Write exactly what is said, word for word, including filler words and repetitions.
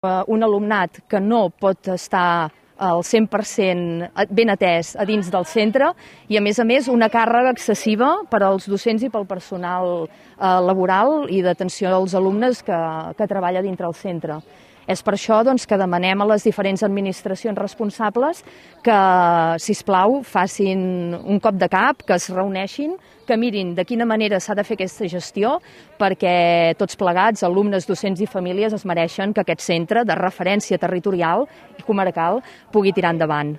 un alumnat que no pot estar al cent per cent ben atès a dins del centre i, a més a més, una càrrega excessiva per als docents i pel personal laboral i d'atenció als alumnes que, que treballa dintre el centre. És per això doncs, que demanem a les diferents administracions responsables que, sisplau, facin un cop de cap, que es reuneixin, que mirin de quina manera s'ha de fer aquesta gestió, perquè tots plegats, alumnes, docents i famílies, es mereixen que aquest centre de referència territorial i comarcal pugui tirar endavant.